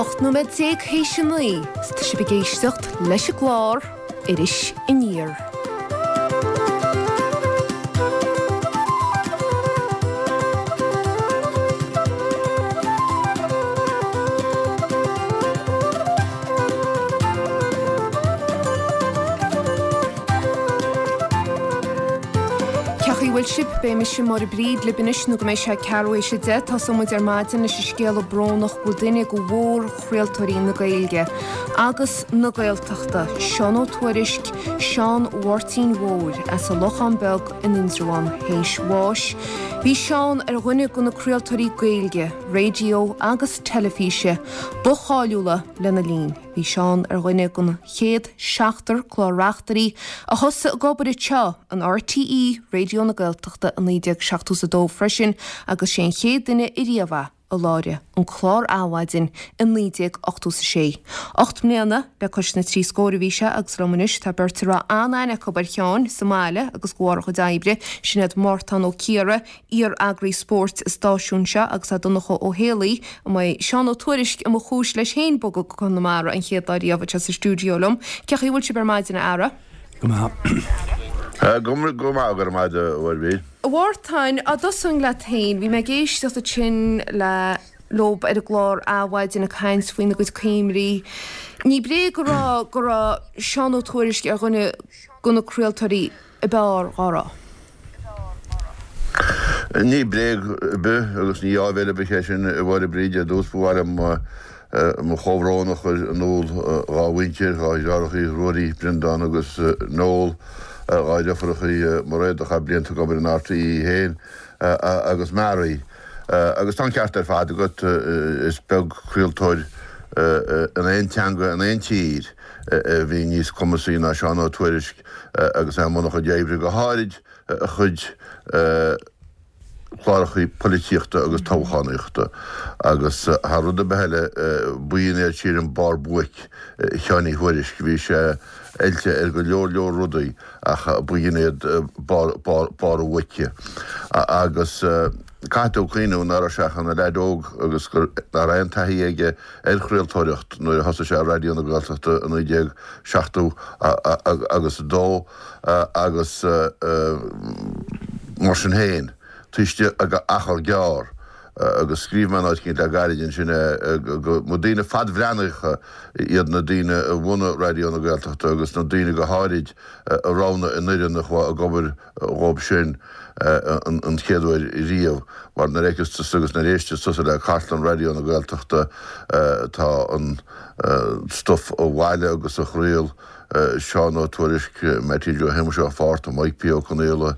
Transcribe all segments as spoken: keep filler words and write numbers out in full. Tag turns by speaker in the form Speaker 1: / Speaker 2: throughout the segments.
Speaker 1: Ocht nóiméad déag théis a naoi, 's tá sibh ag éisteacht leis an gclár Iris Aniar. Cén chaoi a bhfuil sibh? Beidh mise Máire Bríd libh anois nó go mbeidh sé ceathrú théis a deich. Tosóidh muid ar maidin leis an scéala brónach go bhfuil duine de mhórchraoltóirí na Gaeilge agus na Gaeltachta, Seán Ó Tuairisg, Seán Mháirtín Mhóir as an Lochán Beag in Indreabhán, théis bháis. Bhí Seán ar dhuine de na craoltóirí Gaeilge, raidió agus teilifíse ba cháiliúla lena linn. Bhí Seán ar dhuine den chéad seachtar clár-reachtairí a thosaigh ag obair anseo in RTÉ Raidió na Gaeltachta i naoi déag seachtó is a dó freisin agus sé an chéad duine ariamh é a láithrigh an clár Adhmhaidin i naoi déag ochtó is a sé. Ocht mbliana le cois na trí scór a bhí sé agus liom anois tá beirt a raibh an-aithne acu ar Sheán sa mbaile agus de bharr a chuid oibre, sin iad Mártán Ó Ciardha, iar-eagraí spóirt an stáisiúin seo agus Donncha Ó Héalaí, a mbeidh Seán Ó Tuairisg a mba chúis leis féin bogadh go Conamara an chéad lá riamh anseo sa stiúideo liom. Cén chaoi a bhfuil sibh ar maidin, a fheara?
Speaker 2: Go maith.
Speaker 3: Go maith, go maith, go raibh maith agat, a Mháire.
Speaker 1: A Mhártáin, á dtosóinn leat féin, bhí mé ag éisteacht ansin le leob ar an gclár Adhmhaidin ag caint faoina gcuid cuimhní. Ní bréag a rá go raibh Seán Ó Tuairisg ar dhuine de na craoltóirí ab fhearr dhá raibh.
Speaker 3: Ní bréag ar bith agus ní áibhéil ar bith é sin, a Mháire Bríd. Ar dtús ba mhaith liom mo chomhbhrón a chur in iúl dhá mhuintir, dhá dheartháireachaí, Ruairí, Breandán agus Noel, dhá dheirfiúrachaí, Mairéad a chaith blianta ag obair in RTÉ féin agus Mary. Agus tá an ceart ar fad agat, is beag craoltóir in aon teanga in aon tír a bhí níos cumasaí ná Seán Ó Tuairisg agus é i mbun a chuid oibre, go háirid a chuid clárachaí polaitíochta agus toghchánaíochta. Agus thar rud ar bith eile, b'in é sílim barr buaic Sheáin Uí Thuairisg. Bhí sé oilte ar go leor leor rudaí ach b'in iad barr a bhuaice. Agus caithfidh tú cuimhniú nach raibh sé ach ina leaid óg agus gur nach raibh aon taithí aige ar chraoltóireacht nuair a thosaigh sé ar Raidió na Gaeltachta i naoi déag seachtó agus a dó agus mar sin féin, taobh istigh d'achar gearr, agus scríobh mé in áit eicínt le gairid ansin é, go mba daoine fadbhreathnaitheacha iad na daoine a bhunaigh Raidió na Gaeltachta agus na daoine go háirid a roghnaigh an fhoireann a chuaigh ag obair dhóibh sin an chéad uair riamh. Mar nuair a fheiceas tusa agus nuair a éisteas tusa le cartlann Raidió na Gaeltachta tá an stuif a bhailigh agus a chraol Seán Ó Tuairisg, Mattie Joe Shéamuis Ó Fátharta, Mike P. Ó Conaola,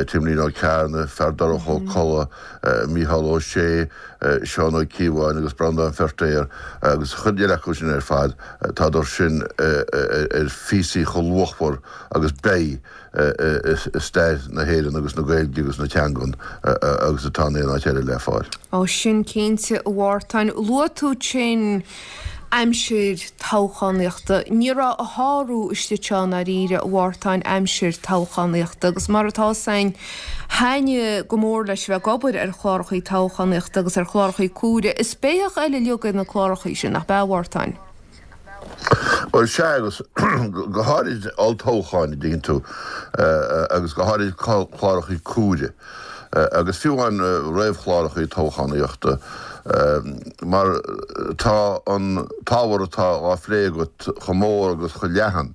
Speaker 3: Timlín Ó Cearnaigh, Feardorcha Ó Colla, Mícheál Ó Sé, Seán Ó Cíobháin agus Breandán Feirtéar agus chuid eile acu sin ar fad, tádar sin ar phíosaí chomh luachmhar agus beidh i stair na hÉireann agus na Gaeilge agus na teangan agus atá in aon áit eile le fáil.
Speaker 1: Ó sin cinnte, a Mhártáin. Luaigh tú ansin aimsir toghchánaíochta. Ní raibh a shárú istigh anseo i ndáiríre, a Mhártáin, aimsir toghchánaíochta agus mar atá 'fhios a'inn, thaitnigh go mór leis bheith ag obair ar chlárachaí toghchánaíochta agus ar chlárachaí cumhra. Is béitheach eile uilig é na clárachaí sin, nach b'ea, a Mhártáin?
Speaker 3: Bhuel, sea, agus go háirid olltoghcháin, a dtuigeann tú, agus go háirid clárachaí cumhra. Agus fiú amháin réamhchlárachaí toghchánaíochta, mar tá an t-ábhar atá á phlé agat chomh mór agus chomh leathan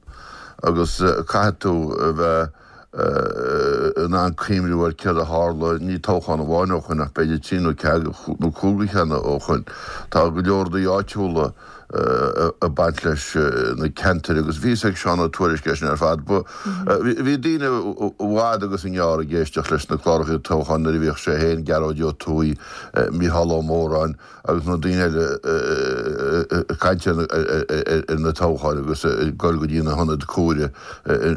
Speaker 3: agus caithfidh tú a bheith in ann cuimhniú ar céard a tharla, ní toghchán amháin ó shoin ach b'fhéidir trí nó ceathair nó cúig cheann ó shoin. Tá go leor rudaí áitiúla ag baint leis na ceantair agus bhí fhios ag Seán Ó Tuairisg é sin ar fad. Bhí daoine i bhfad agus i ngearr ag éisteacht leis na cláracha toghcháin nuair a bhíodh sé féin, Gearóid Ó Tuathaigh, Mícheál Ó Móráin agus na daoine eile ag caint ar na toghcháin agus ag dul go dtí na hionaid comhairimh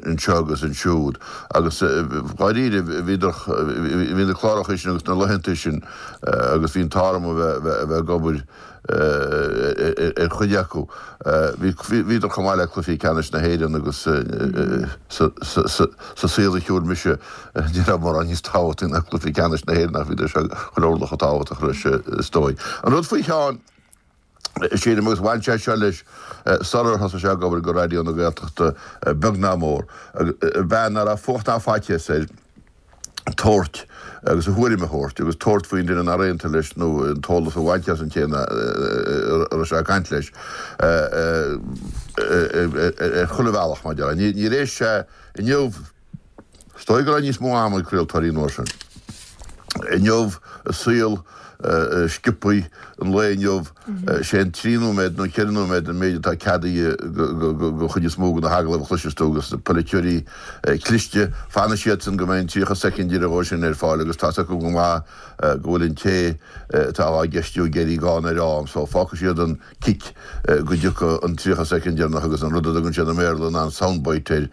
Speaker 3: anseo agus ansiúd agus dháiríre bhíodar, bhí na cláracha sin agus na laethanta sin agus bhí an t-ádh orm a bheith ag obair ar chuid acu. Bhíodar chomh maith le cluichí ceannais na hÉireann agus sa saol a shiúil mise ní raibh mórán níos tábhachtaí ná cluichí ceannais na hÉireann ach bhíodar seo chuile orlach chomh tábhachtach leis is dóigh. An rud faoi Sheán, Sílim agus bhain sé seo leis sular thosaigh sé ag obair go Raidió na Gaeltachta beag ná mór. Bean nach raibh fuacht ná faitíos air tabhairt agus a thuairim a thabhairt agus tabhairt faoin duine nár aontaigh leis nó an t-eolas a bhaint as an té a raibh sé ag caint leis ar chuile bhealach mar a déarfá. Níor éist sé inniu Is dóigh go raibh níos mó ama ag craoltóirí an uair sin. Inniu, i saol sciobtha an lae inniu, sé an trí nóiméad nó ceithre nóiméad an méid atá ceadaithe don chuid is mó de na hagallaimh a chloiseas tú agus na polaiteoirí cliste, fanfaidh siadsan go mbeidh an tríocha soicind deiridh dhó sin ar fáil agus tá's acu go maith go bhfuil an té atá á gceistiú ag éirí gann ar am so fágfaidh siad an cic go dtiocfaidh an tríocha soicind deireanach agus an rud a dtugann siad i mBéarla ná an sound bite air,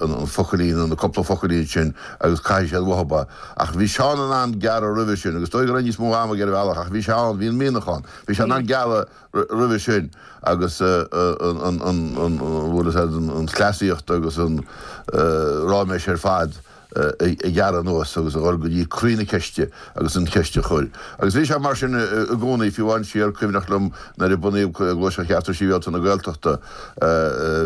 Speaker 3: an focailín nó na cúpla focailín sin agus caithfidh siad uathu é. Ach bhí Seán in ann gearradh roimhe sin agus is dóigh go raibh níos mó ama aige ar bhealach ach bhí sé ann, bhí an mianach ann, bhí sé in ann gearradh roimhe sin agus an, an, bhfuil fhios a'd, an chleasaíocht agus an ráiméis ar fad a ghearradh anuas agus a dhul go dtí croí na ceiste agus an cheist a chur. Agus bhí sé mar sin i gcónaí, fiú amháin siar, cuimhneach liom nuair a bunaíodh Gluaiseacht Chearta Sibhialta na Gaeltachta,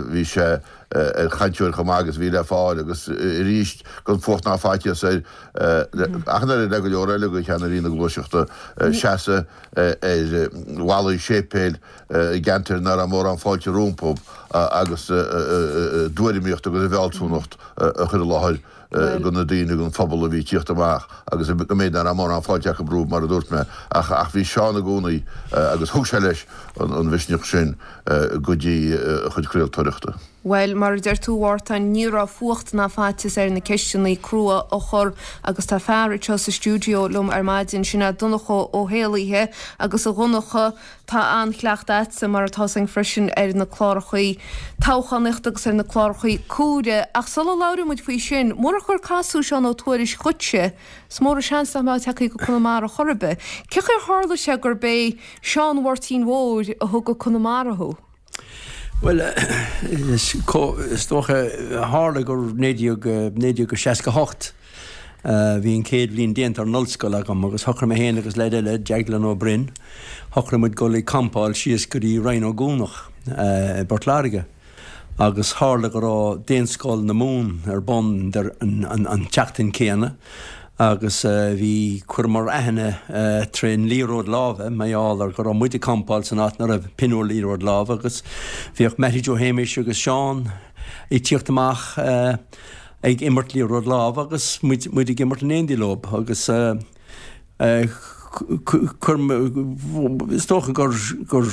Speaker 3: bhí sé ar chainteoir chomh maith agus a bhí le fáil agus arís gan fuacht ná faitíos air ach an oiread le go leor eile de cheannairí na gluaiseachta seasamh ar bhallaí séipéil i gceantair nach raibh mórán fáilte rompu agus a dtuairimíocht agus a bhfealsúnacht a chur i láthair do na daoine, don phobal a bhí ag tíocht amach agus go mb'fhéidir nach raibh mórán fáilte acu rompu mar a dúirt mé ach ach bhí Seán i gcónaí agus thug sé leis an mhisneach sin go dtí a chuid craoltóireachta.
Speaker 1: Bhuel, mar a deir tú, a Mhártain, ní raibh fuacht ná faitíos air na ceisteanna crua a chur agus tá fear anseo sa stiúideo liom ar maidin, sin é Donncha Ó hÉallaithe agus a Dhonncha, tá an-chleachtadh a'dsa mar atá againn freisin ar na clárachaí toghchánaíochta agus ar na clárachaí cumhra. Ach sula labhraíonn muid faoi sin, murach gur casadh Seán Ó Tuairisg dhuitse, is mór an seans nach mbeadh tagtha go Conamara chor ar bith. Cén chaoi ar tharla sé gurb é Seán Mháirtín Mhóir a thug go Conamara thú?
Speaker 2: Bhuel, is dócha, tharla gur naoi déag, naoi déag seasca hocht, bhí an chéad bhliain déanta ar an ollscoil agam agus shocraigh mé féin agus leaid eile, Deaglán Ó Broin, shocraigh muid dul ag campáil síos go dtí Rinn Ó gCuanach i bPort Láirge. Agus tharla go raibh Daonscoil na Mumhan ar bun an tseachtain céanna agus bhí, chuireamar aithne trén liathróid láimhe, mar gheall ar go raibh muid ag campáil san áit 'na raibh pinniúr liathróid láimhe agus bhíodh Mattie Joe Shéamais agus Seán ag tíocht amach ag imirt liathróid láimhe agus muid, muid ag imirt in éindí leob agus chuir, is dócha gur, gur,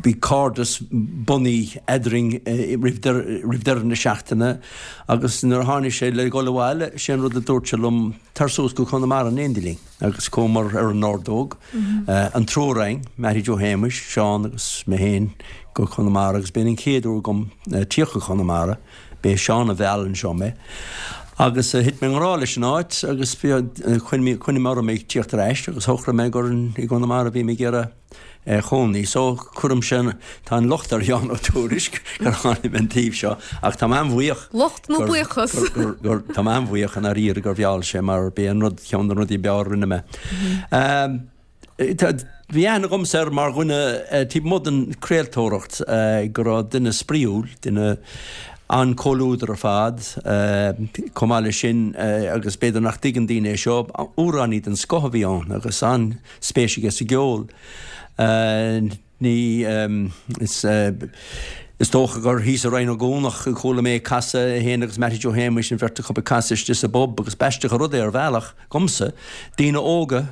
Speaker 2: bhí cairdeas bunaithe eadrainn roimh roimh deireadh na seachtaine agus nuair a tháinig sé le dhul abhaile, sé an rud a dúirt sé liom, tar suas go Conamara in éindí linn agus chuamar ar an ordóg, an triúr againn, Mattie Joe Shéamais, Seán agus mé féin go Conamara agus b'in an chéad uair agam tíocht go Conamara, b'é Seán a mheall anseo mé. Agus thit mé i ngrá leis an áit agus choinnigh mé orm ag tíocht ar ais agus shocraigh mé gur i gConamara a bhí mé ag iarraidh cónaí. So cuirimse, tá an locht ar Sheán Ó Tuairisg gur tháinig mé an taobh seo ach tá mé an-bhuíoch.
Speaker 1: Locht nó buíochas?
Speaker 2: Gur, tá mé an-bhuíoch i ndáiríre gur mheall sé mar b'é an rud, ceann de na rudaí b'fhearr a rinne mé. Bhí aithne agamsa air mar dhuine, taobh amuigh den chraoltóireacht, go raibh duine spraíúil, duine an-chomhluadar ar fad. Chomh maith leis sin, agus b'fhéidir nach dtuigeann daoine é seo, amhránaí den scoth a bhí ann agus an-spéis aige sa gceol. Ní, is, is dócha gur thíos i Rinn Ó gCuanach a chuala mé ag casadh, é féin agus Mattie Joe Shéamuis, an bheirt acu ag casadh istigh sa bpub agus b'aisteach an rud é ar bhealach dhomsa, daoine óga,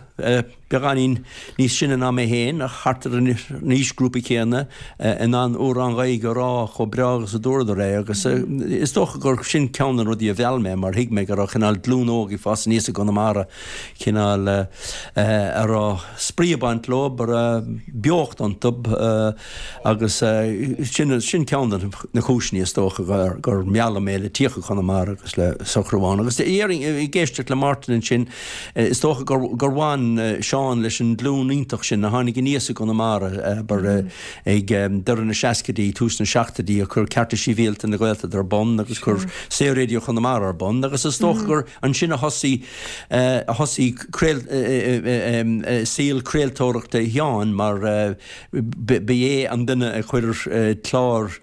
Speaker 2: beagáinín níos sine ná mé féin ach thart ar an aoisghrúpa céanna, in ann amhrán Gaeilge a rá chomh breá agus a dúradar é agus is dócha gur sin ceann de na rudaí a mheall mé mar thuig mé go raibh cineál glúin óg ag fás aníos i gConamara, cineál a raibh spraoi ag baint leo, a raibh beocht iontu agus sin Sin ceann de na cúiseanna is dócha gur, gur mealladh mé le tíocht go Conamara agus le socrú ann. Agus déarfainn, ag éisteacht le Martin ansin, is dócha gur, gur bhain Seán leis an nglúin iontach sin a tháinig aníos i gConamara, abair, ag deireadh na seascaidí, tús na seachtóidí, a chuir Cearta Sibhialta na Gaeltachta ar bun agus chuir Saor-Raidió Chonamara ar bun agus is dócha gur ansin a thosaigh, a thosaigh craol, saol craoltóireachta Sheáin mar ba é an duine a chuir clár,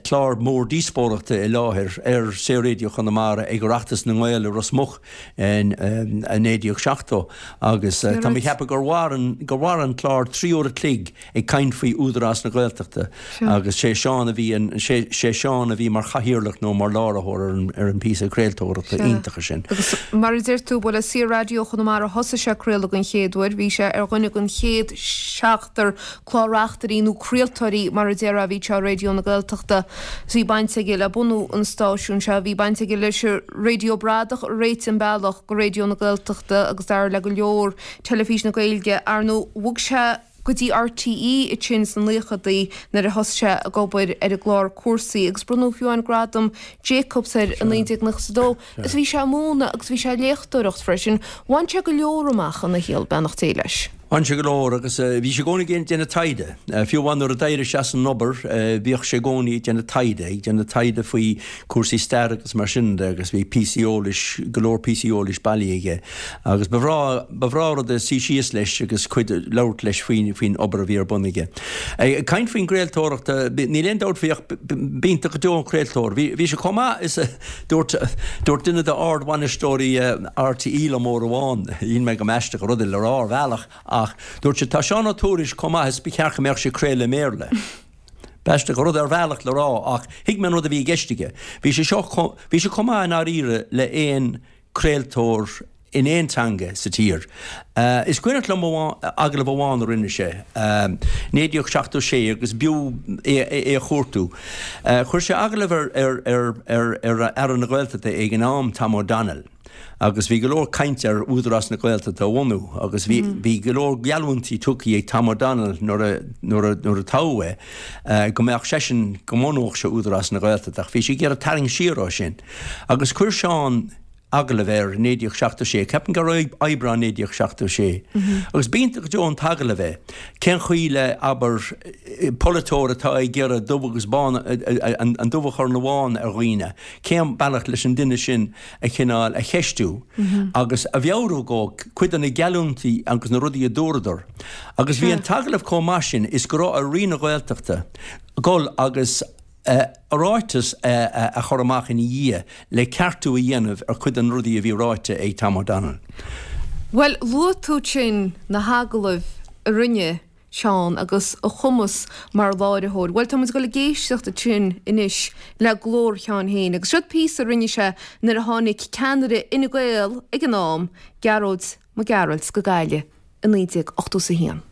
Speaker 2: clár mór díospóireachta i láthair ar Saor-Raidió Chonamara ag Oireachtas na nGael i Ros Muc in naoi déag seachtó agus tá mé ag ceapadh gur mhair an, gur mhair an clár trí uair a chloig ag caint faoi Údarás na Gaeltachta agus sé Seán a bhí an, sé, sé Seán a bhí mar chathaoirleach nó mar láithreoir ar an, ar an bpíosa craoltóireachta iontacha sin.
Speaker 1: Agus mar a deir tú, ba le Saor-Raidió Chonamara a thosaigh sé ag craoladh den chéad uair. Bhí sé ar dhuine den chéad seachtar clár-reachtairí nó craoltóirí mar a déarfá a bhí anseo ar Raidió na Gaeltachta. Bhí baint aige le bunú an stáisiúin seo, bhí baint aige leis an Raidió Bradach a réitigh an bealach go Raidió na Gaeltachta agus dar le go leor Teilifís na Gaeilge. Ar ndóigh, bhog sé go dtí RTÉ ansin sna naochadaí nuair a thosaigh sé ag obair ar an gclár Cúrsaí agus bronnadh fiú amháin gradam Jacobs air i naoi déag nócha a dó. Is bhí sé ag múineadh agus bhí sé ag léachtóireacht freisin. Bhain sé go leor amach ina shaol, beannacht Dé leis.
Speaker 2: Bhain sé go leor agus bhí sé i gcónaí ag déanamh taighde. Fiú amháin nuair a d'éirigh sé as an obair bhíodh sé i gcónaí ag déanamh taighde, ag déanamh taighde faoi chúrsaí staire agus mar sin de agus bhí píosaí eolais, go leor píosaí eolais bailithe aige. Agus ba bhreá, ba bhreá rud é suí síos leis agus cuid, labhairt leis faoin, faoin obair a bhí ar bun aige. Ag caint faoin gcraoltóireacht, níl aon dabht faoi ach b'iontach go deo an craoltóir. Bhí, bhí sé chomh maith is a dúirt, dúirt duine d'ardbhainisteoirí RTÉ liom uair amháin, shíl mé go mb'aisteach an rud é le rá ar bhealach, ach dúirt sé, tá Seán Ó Tuairisg chomh maith is ba cheart go mbeadh sé ag craoladh i mBéarla. B'aisteach an rud ar bhealach le rá ach thuig mé an rud a bhí i gceist aige. Bhí sé seo, bhí sé chomh maith i ndáiríre le aon craoltóir in aon teanga sa tír. Is cuimhneach liom agallamh amháin a rinne sé, naoi déag seachtó sé agus b'fhiú é a chuartú. Chuir sé agallamh ar ar ar Aire na Gaeltachta ag an am, Tom O'Donnell. Agus bhí go leor cainte ar Údarás na Gaeltachta a bhunú agus bhí bhí go leor geallúintí tugtha ag Tom O'Donnell nuair a nuair a nuair a toghadh é go mbeadh seisean go mbunódh sé Údarás na Gaeltachta ach bhí sé ag iarraidh tarraingt siar ó sin. Agus chuir Seán agallamh air i naoi déag seachtó sé, ceapaim gur Aibreán naoi déag seachtó sé. Agus b'iontach go deo an t-agallamh é. Cén chaoi le, abair, polaiteoir atá ag iarraidh dubh agus bán, an dubh a chur ina bhán ar dhaoine, cén bealach leis an duine sin a chineál a cheistiú agus a mheabhrú dhó cuid de na geallúintí agus na rudaí a dúradar. Agus bhí an t-agallamh chomh maith sin is go raibh ar Roinn na Gaeltachta dul agus ráiteas a chur amach ina dhiaidh le ceartú a dhéanamh ar chuid de na rudaí a bhí ráite ag Tom O'Donnell.
Speaker 1: Bhuel, luaigh tú ansin na hagallaimh a rinne Seán agus a chumas mar láithreoir. Bhuel, tá muid ag dul ag éisteacht ansin anois le glór Sheáin féin agus siod píosa a rinne sé nuair a tháinig ceannaire Fhine Gael ag an am, Gearóid Mac Gearailt, go Gaillimh i naoi déag ochtó is a haon.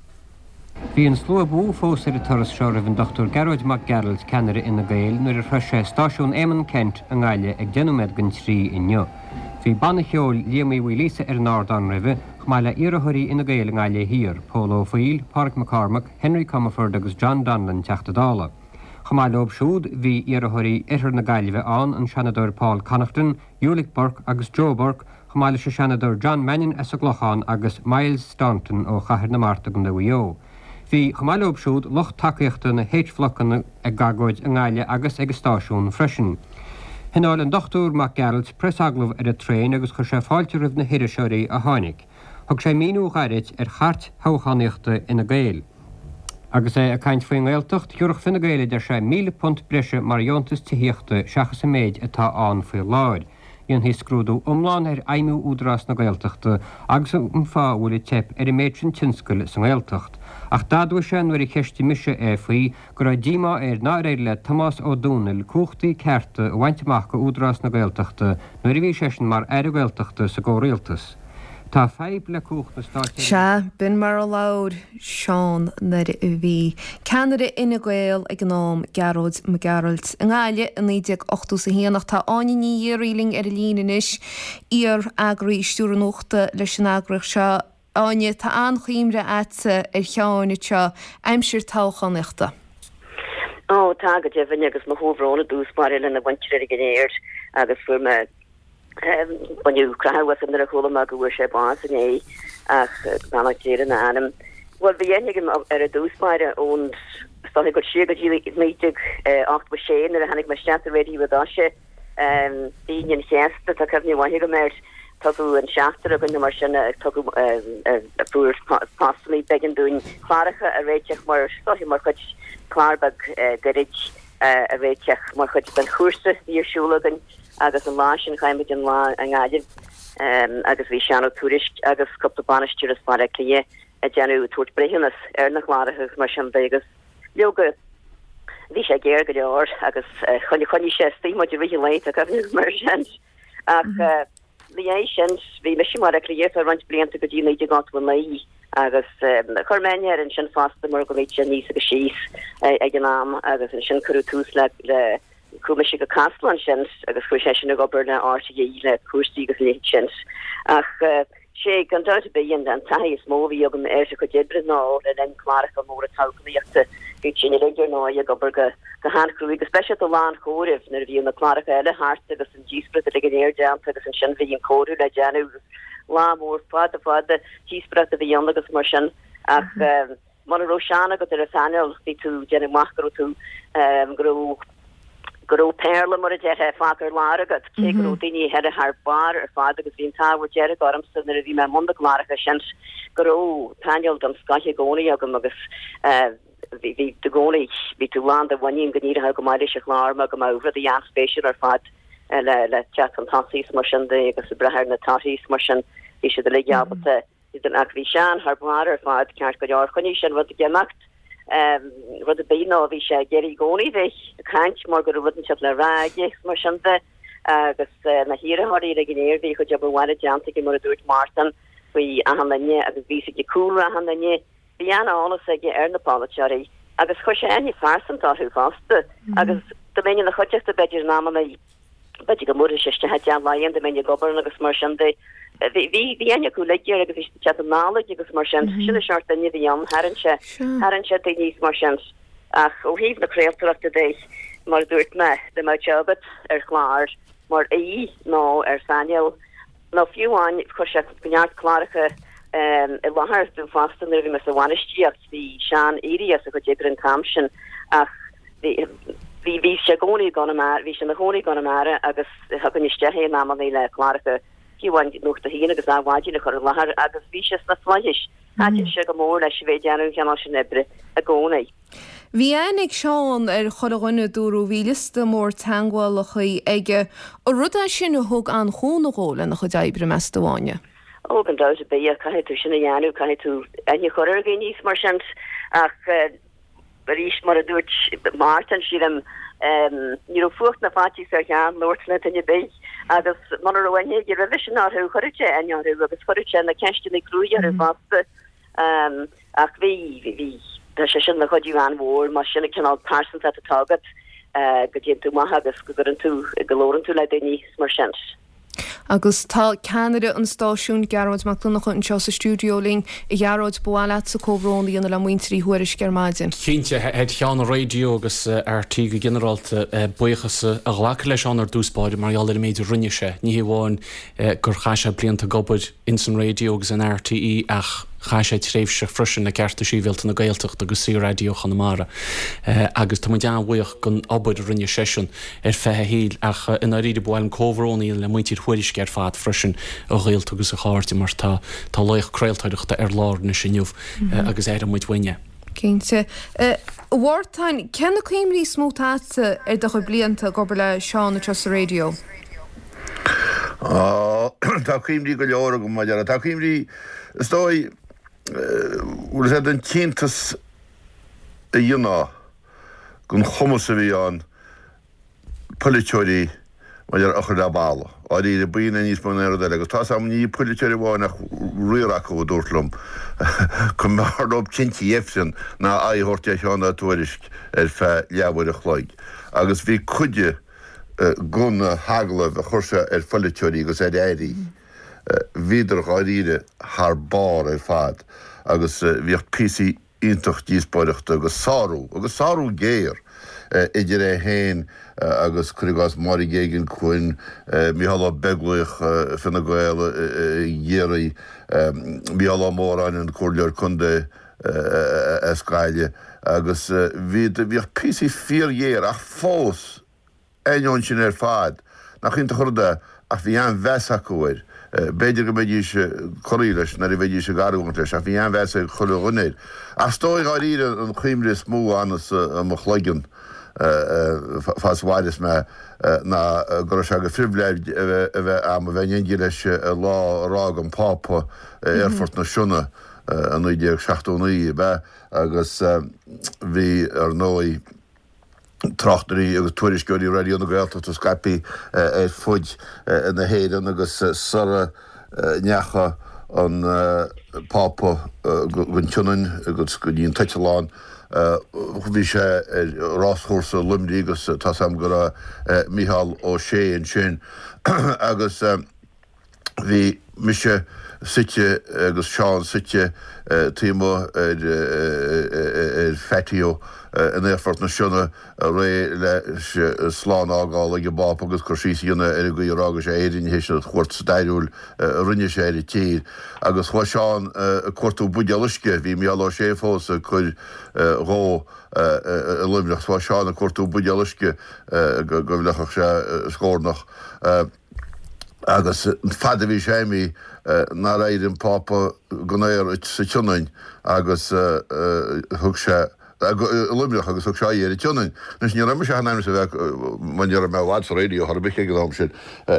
Speaker 4: Bhí an slua ba mhó fós ar an turas seo roimh an Dochtúir Gearóid Mac Gearailt, ceannaire Fhine Gael, nuair a shroich sé Stáisiún Éamonn Kent i nGaillimh ag deich nóiméad don trí inniu. Bhí banna cheoil Liam Uí Mhaoilíosa ar an ardán roimhe, chomh maith le iarrthóirí Fhine Gael i nGaillimh Thiar, Pól Ó Foighil, Pádraig McCormack, Henry Comerford agus John Donlan, Teachta Dála. Chomh maith leob siúd, bhí iarrthóirí Oirthear na Gaillimhe ann, an Seanadóir Paul Connaughton, Ulick Burke agus Joe Burke, chomh maith leis an Seanadóir John Mannion as an gClochán agus Myles Staunton ó Chathair na Mart i gContae Mhaigh Eo. Bhí, chomh maith leob siúd, lucht tacaíochta na H-Bhlocanna ag agóid i nGaillimh agus ag an stáisiún freisin. Thionóil an Dochtúir Mac Gearailt preasagallamh ar an traein agus chuir sé fáilte roimh na hiriseoirí a tháinig. Thug sé míniú ghairid ar chairt thoghchánaíochta Fhine Gael. Agus é ag caint faoin nGaeltacht, thiúrfadh Fine Gael, a deir sé, míle punt breise mar dheontas tithíochta seachas an méid atá ann faoi láthair. Dhéanfaí scrúdú iomlán ar fheidhmiú Údarás na Gaeltachta agus an fáth a bhfuil ag teip ar an méid sin tionscail sa nGaeltacht. Ach d'admhaigh sé nuair a cheistigh mise é faoi go raibh díomá air nár éirigh le Tomás Ó Domhnaill cumhachtaí cearta a bhaint amach go Údarás na Gaeltachta nuair a bhí seisean mar Aire Gaeltachta sa gcomhrialtas. Tá fadhb le cumhacht na státseirbhíse.
Speaker 1: Sea, b'in mar a labhair Seán nuair a bhí ceannaire Fhine Gael ag an am, Gearóid Mac Gearailt, i nGaillimh i naoi déag ochtó is a haon. Ach tá Áine Ní Ghiarraí linn ar an líne anois, iar-eagraí stiúrthóir nuachta leis an eagraíocht seo. Áine, tá an-chuimhne a'dsa ar Sheán anseo aimsir toghchánaíochta.
Speaker 5: Ó, tá go deimhin agus mo chomhbhrón i dtús báire lena mhuintir uilig go léir agus fuair mé baineadh croitheadh asam nuair a chuala mé go bhfuair sé bás inné ach beannacht Dé lena anam. Bhuel bhí aithne agam air i dtús báire ón is dóigh ag dul siar go dtí naoi déag ochtó sé nuair a tháinig mé isteach sa raidió i dtoiseach. Aoine an Chéasta, tá cuimhne mhaith agam air. Tugadh an seachtar againn nó mar sin, tugadh fuair postanna, b'éigean dúinn cláracha a réiteach mar is dóiche mar chuid clár beag gairid a réiteach mar chuid den chúrsa a bhí ar siúl againn agus an lá sin chaith muid an lá i nGaillimh agus bhí Seán Ó Tuairisg agus cúpla bainisteoir as Baile Átha Cliath ag déanamh tabhairt breithiúnas ar na cláracha agus mar sin de agus leoga bhí sé géar go leor agus choinnigh sé istigh muid i rith an lae tá cuimhne agam air sin ach ina dhiaidh sin, bhí mise i mBaile Átha Cliath ar feadh roinnt blianta go dtí naoi déag ochtó a naoi agus chuir mé aithne air ansin fosta mar go mbíodh sé aníos agus síos ag an am agus ansin cuireadh tús le le chuaigh mise go Casla ansin agus chuaigh seisean ag obair le RTÉ le cúrsaí agus a leithéid sin. Ach sé gan dabht ar bith an an taithí is mó a bhí agam ar a chuid oibre ná le linn cláracha móra toghchánaíochta. Bhí sin uilig ar ndóigh ag obair go go han-chruaidh, go speisialta lá an chomhairimh nuair a bhíodh na cláracha eile thart agus an díospóireacht uilig go léir déanta agus ansin bhí an comhaireamh le déanamh agus lá mór fada fada díospóireachta a bhí ann agus mar sin ach muna raibh Seán agat ar an phainéal bhí tú ag déanamh amach go raibh tú go raibh go raibh péarla mar a déarfá fágtha ar lár agat cé go raibh daoine eile thar barr ar fad agus bhí an t-ádh dearg ormsa nuair a bhí mé i mbun na gcláracha sin go raibh painéal den scoth i gcónaí agam agus bhí bhí i gcónaí bhí tú lán de mhuinín go n-éireodh go maith leis an chlár mar go mbeadh rudaí an-spéisiúil ar fad le le teacht chun tosaigh is mar sin de agus ag brath ar na torthaí is mar sin bhí siad uilig ábalta iad ach bhí Seán thar barr ar fad ceart go leor choinnigh sé an rud ag imeacht rud ar bith nó bhí sé ag iarraidh i gcónaí bheith ag caint mar go raibh rud inteacht le rá aige is mar sin de agus na hiarrthóirí uilig go léir bhí a chuid obair bhaile déanta aige mar a dúirt Mártan faoi achan duine agus bhí a fhios aige cúlra achan duine Bhí an-eolas aige ar na polaiteoirí agus chuir sé aithne phearsanta orthu fosta agus dá mbeinn ina chuideachta b'fhéidir in amanna b'fhéidir go mbuailfeadh sé isteach i dTeach Laighean dá mbeinn ag obair ann agus mar sin de. Bhí bhí bhí aithne acu uilig air agus bhí siad ag teacht anall aige agus mar sin. Sin an seort duine a bhí ann, tharraing sé tharraing sé daoine is mar sin. Ach ó thaobh na craoltóireachta de, mar a dúirt mé, dá mbeadh sé agat ar chlár mar aoi nó ar phainéal, Nó fiú amháin, chuir sé neart cláracha i láthair dom fosta nuair a bhí mé sa bhainistíocht. Bhí Seán éirithe as a chuid oibre an t-am sin ach bhí, bhí, bhí sé i gcónaí i gConamara, bhí sé ina chónaí i gConamara agus thugainn isteach é in amannaí le cláracha, fiú amháin Nuacht a hAon agus Adhmhaidin a chur i láthair agus bhí sé sna flaithis. Thaitin sé go mór leis a bheith ag déanamh an chineál sin oibre i gcónaí.
Speaker 1: Bhí aithne ag Seán ar chuile dhuine, dúradh, bhí liosta mór teagmhálacha aige. An rud é sin a thug an-chúnamh dhó lena chuid oibre, meas tú, a Áine?
Speaker 5: Ó, gan dabht ar bith, caithfidh tú sin a dhéanamh, caithfidh tú aithne a chur ar dhaoine is mar sin. Ach arís, mar a dúirt Mártan, sílim, ní raibh fuacht ná faitíos ar Sheán labhairt le duine ar bith agus muna raibh aithne aige roimhe sin orthu, chuireadh sé aithne orthu agus chuireadh sé na ceisteanna cruaidh orthu fosta. Ach bhí, bhí, tá sé sin ina chuidiú an-mhór, más sin an cineál pearsantacht atá agat, go dtéann tú amach agus go gcuireann tú, go labhrann tú le daoine is mar sin.
Speaker 1: Agus tá ceannaire an stáisiúin, Gearóid Mac Donncha, anseo sa stiúideo linn. A Ghearóid, ba mhaith leatsa comhbhrón a dhéanamh le muintir Uí Thuairisg ar maidin.
Speaker 6: Cinnte, thar cheann an raidió agus RTÉ go ginearálta, buíochas a ghlacadh le Seán ar dtús báire mar gheall ar an méid a rinne sé. Ní hé amháin gur chaith sé blianta ag obair ins an raidió agus in RTÉ ach chaith sé tréimhse freisin le Cearta Sibhialta na Gaeltachta agus Saor-Raidió Chonamara agus tá muid an-bhuíoch den obair a rinne seisean ar feadh a shaoil ach i ndáiríre ba mhaith liom comhbhrón a dhéanamh le muintir Thuairisg ar fad freisin, a ghaolta agus a chairde mar tá tá laoch craoltóireachta ar lár anois inniu agus aireoidh muid uainn é.
Speaker 1: Cinnte. A Mhártain, cé na cuimhní is mó atá agatsa ar do chuid blianta ag obair le Seán anseo sa raidió?
Speaker 3: Tá cuimhní go leor agam maidir le, tá cuimhní, is dóigh, bhfuil sé den t-iontas a dhéanamh den chumas a bhí ann polaiteoirí maidir a chur le balla. Dáiríre, b'in é níos mó ná aon rud eile agus tá's agam ní polaiteoirí amháin ach riar acu a dúirt liom go mb'fhearr leo tinte Ifrinn ná aghaidh a thabhairt ar Sheán Ó Tuairisg ar feadh leathuair a chloig agus bhí cuid de na hagallaimh a chuir sé ar pholaiteoirí agus ar airí, bhíodar dháiríre thar barr ar fad agus bhíodh píosaí iontach díospóireachta agus sárú, agus sárú géar, idir é féin agus cuir i gcás Máire Geoghegan-Quinn, Mícheál Ó Beaglaoich, Fine Gael i gCiarraí, Mícheál Ó Móráin, an Comhairleoir Contae as Gaillimh agus bhí, bhíodh píosaí fíorghéar ach fós, ainneoin sin ar fad, nach iontach an rud é ach bhí an-mheas acu air. B'fhéidir go mbeidís corraithe leis nuair a bheidís ag argóint leis ach bhí an-mheas ag chuile dhuine air. Ach is dóigh dháiríre an chuimhne is mó a fhanas i mo chloigeann fad is a mhaireas mé ná go raibh sé de phribhléid a bheith a'm a bheith in éindí leis an lá ar fhág an Pápa Aerfort na Sionna i naoi déag seachtó naoi, ab ea? Agus bhí, ar ndóigh, tráchtairí agus tuairisceoirí Raidió na Gaeltachta scaipthe ar fud na hÉireann agus sara ndeachaigh an Pápa gon tSionainn agus go dtí an t-eitleán bhí sé ar ráschúrsa Luimnigh agus tá's a'm go raibh Mícheál Ó Sé ansin agus Bhí mise suite agus Seán suite taobh amuigh ar phatio in Aerfort na Sionna réidh leis slán a fhágáil ag an bPápa agus cur síos a dhéanamh ar an gcaoi ar fhága sé Éirinn théis an chuairt stairiúil a rinne sé ar an tír. Agus chuaigh Seán ag cuartú buidéal uisce, bhí Mícheál Ó Sé fós ag cur dhó i Luimneach, chuaigh Seán ag cuartú buidéal uisce go bhfliuchfadh sé a scornach. Agus fad a bhí sé imithe nár éirigh an Pápa gon aer sa tSionainn agus thug sé, i Luimneach agus thug sé aghaidh ar an tSionainn. Anois ní raibh mise ach in ainm is a bheith, mar ní raibh mé i bhfad sa raidió chor ar bith ag an am sin,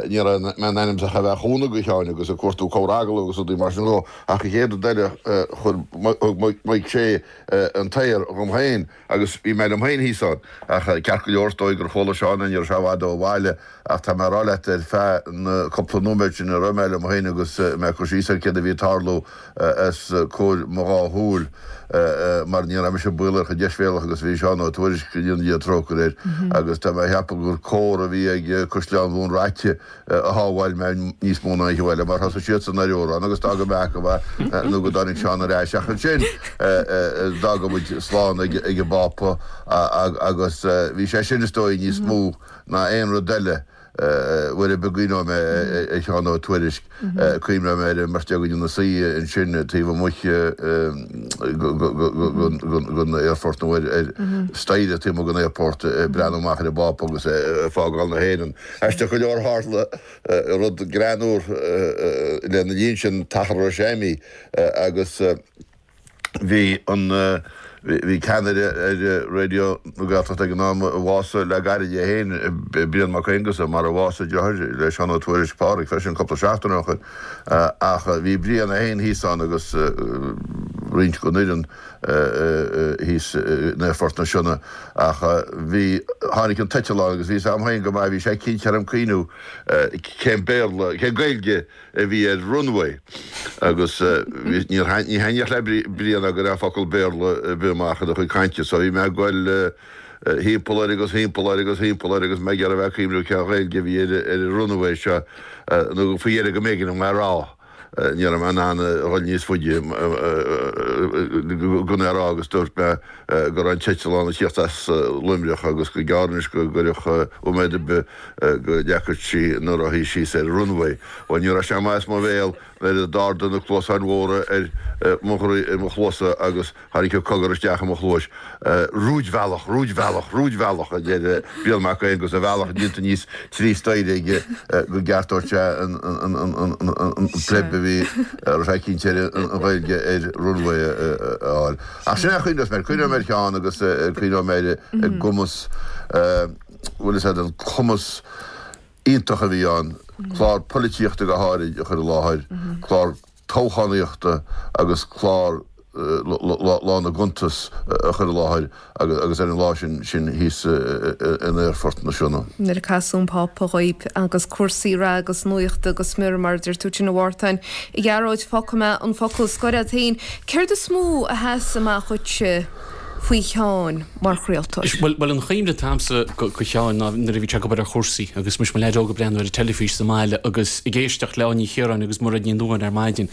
Speaker 3: ní raibh mé in ainm is ach a bheith ag cúnamh do Sheáin agus ag cuartú cabhair agallamh agus rudaí mar sin dhó ach an chéad rud eile chuir, thug Mike Shea an t-aer dhom féin agus bhí mé liom féin thíos ann. Ach ceart go leor is dóigh gur chuala Seán é, ní raibh sé i bhfad ó bhaile ach tá mé ag rá leat ar feadh na cúpla nóiméad sin a raibh mé liom féin agus mé ag cur síos ar céard a bhí ag tarlú os comhair mo dhá shúil mar ní raibh mise baolach chomh deisbhéalach agus a bhí Seán Ó Tuairisg, go ndéana Dia trócaire air, agus tá mé ag ceapadh gur cór a bhí ag Caisleán Bhun Raite a shábháil mé níos mó ná aon cheo eile mar thosaigh siadsan ar amhrán agus d'fhága mé acu é nó go dtáinig Seán ar ais ach ansin d'fhága muid slán ag an bPápa agus bhí sé sin is dóigh níos mó ná aon rud eile. Uair ar bith a gcuimhneoidh mé ar Sheán Ó Tuairisg, cuimhneoidh mé ar an mbeirt againn ina suí ansin taobh amuigh den aerfort nó ar staighre taobh amuigh den aerfort ag breathnú amach ar an bPápa agus é ag fágáil na hÉireann. Aisteach go leor tharla rud greannmhar lena linn sin, an t-achar a raibh sé imithe agus Bhí an bhí ceannaire ar Raidió na Gaeltachta ag an am a bhásaigh le gairid é féin, Brian Mac Aonghusa, mar a bhásaigh a dheartháir le Seán Ó Tuairisg, Pádhraic, freisin cúpla seachtain ó shoin. Ach bhí Brian é féin thíos ann agus roinnt den fhoireann thíos in Aerfort na Sionna. Ach bhí, tháinig an t-eitleán agus bhí a fhios a'm féin go maith, bhí sé cinnte orm cuimhniú cén Béarla, cén Gaeilge a bhí ar runway agus ní thaitníodh le Brian go raibh focal Béarla ar bith amach ina chuid cainte so bhí mé ag goil thimpeall air agus thimpeall air agus thimpeall air agus mé ag iarraidh a bheith ag cuimhniú cén Ghaeilge a bhí ar an runway seo nó faoi dheireadh go mb'éigean dom é a rá. Ní raibh mé in ann a dhul níos faide gan é a rá agus dúirt mé go raibh an t-eitleán ag tíocht as Luimneach agus gur gearr anois go gcuirfeadh nóiméad ar bith go leagfadh sí na rothaí síos ar an runway. Bhuel, ní raibh sé amach as mo bhéal nuair a d'ardaigh na cluasáin mhóra ar mo ar mo chluasa agus tháinig an cogar isteach i mo chluais. Rúidbhealach, rúidbhealach, rúidbhealach, a deir Brian Mac Aonghusa, a bhealach déanta aníos trí staighre aige go gceartódh sé an pleib a bhí a raibh sé cinnte ar an Ghaeilge ar runway a fháil. Ach sin é a chuimhneos mé air. Cuimhneoidh mé ar Sheán agus cuimhneoidh mé ar an gcumas, bhfuil fhios a'd, an cumas iontach a bhí ann, clár polaitíochta go háirid a chur i láthair, clár toghchánaíochta agus clár Lá na gCuntas a chur i láthair agus ar an lá sin sin thíos in Aerfort na Sionna.
Speaker 1: Nuair a casadh an Pápa dhaoib agus cúrsaí reatha agus nuachta go smior mar a deir tú sin a Mhártain. A Ghearóid, fágfaidh mé an focal scoir agat féin. Céard is mó a sheas amach dhuitse faoi Sheán mar chraoltóir?
Speaker 6: Bhuel, bhuel an chuimhne atá agamsa go Sheán ná nuair a bhí sé ag obair ar chúrsaí agus muis mo leaid óg ag breathnú ar an teilifís sa mbaile agus ag éisteacht le Áine Ní Chiaráin agus Mairéad Ní Nuadháin ar maidin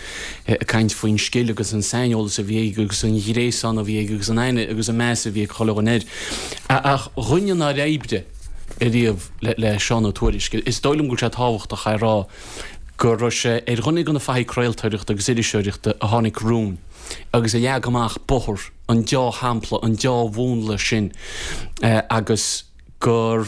Speaker 6: ag caint faoin scil agus an saineolas a bhí aige agus an ghréasán a bhí aige agus an aithne agus an meas a bhí ag chuile dhuine air. Ach dhuine nár oibrigh ariamh le Seán Ó Tuairisg, is dóigh liom go bhfuil sé tábhachtach a rá go raibh sé ar dhuine de na fathaigh craoltóireachta agus iriseoireachta a tháinig romhainn agus a leag amach bóthar an deá-shampla, an deá-mhúnla sin agus gur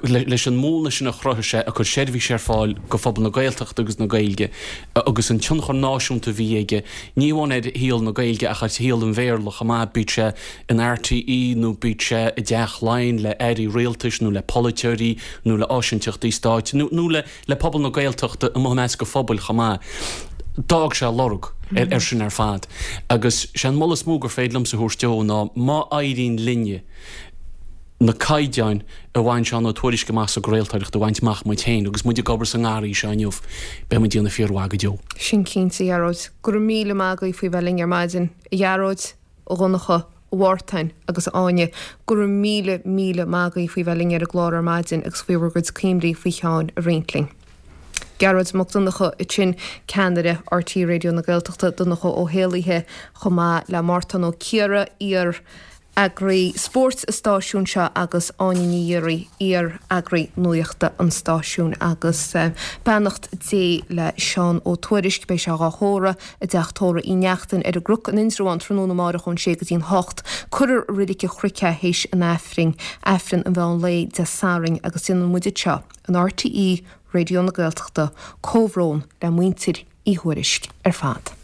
Speaker 6: leis an múnla sin a chruthaigh sé ag cur seirbhís ar fáil go phobal na Gaeltachta agus na Gaeilge agus an tionchar náisiúnta a bhí aige, ní amháin ar shaol na Gaeilge ach ar shaol an Bhéarla chomh maith, bíodh sé in RTÉ nó bíodh sé i dTeach Laighean le airí rialtais nó le polaiteoirí nó le áisinteachtaí stáit nó le le pobal na Gaeltachta amuigh i measc an phobail chomh maith. D'fhág sé lorg ar sin ar fad agus sé an moladh is mó gur féidir liomsa a thabhairt dó ná má éiríonn linne na caighdeáin a bhain Seán Ó Tuairisg amach sa gcraoltóireacht a bhaint amach muid féin agus muid ag obair sa ngarraí seo inniu, beidh muid ag déanamh fíormhaith go deo.
Speaker 1: Sin cinnte, a Ghearóid. Go raibh míle maith agaibh faoi bheith linn ar maidin, a Ghearóid, a Dhonncha, a Mhártain agus a Áine. Go raibh míle, míle maith agaibh faoi bheith linn ar an gclár ar maidin agus faoi bhur gcuid cuimhní faoi Sheán a roinnt linn. Gearóid Mac Donncha ansin, ceannaire RTÉ Raidió na Gaeltachta, Donncha Ó hÉallaithe, chomh maith le Mártan Ó Ciardha, iar Eagraí Spóirt an stáisiúin seo agus Áine Ní Dhíoraí, iar-eagraí nuachta an stáisiúin agus beannacht Dé le Seán Ó Tuairisg. Beidh sé dhá thórramh i dTeach Tórraimh Uí Neachtain ar an gCnoc in Indreabhán tráthnóna amárach ón sé go dtí'n hocht. Cuirfear i Reilig an Chnoic é théis an Aifrinn, Aifreann an mheán lae Dé Sathairn agus déanann muid anseo in RTÉ Raidió na Gaeltachta comhbhrón le muintir Uí Thuairisg ar fad.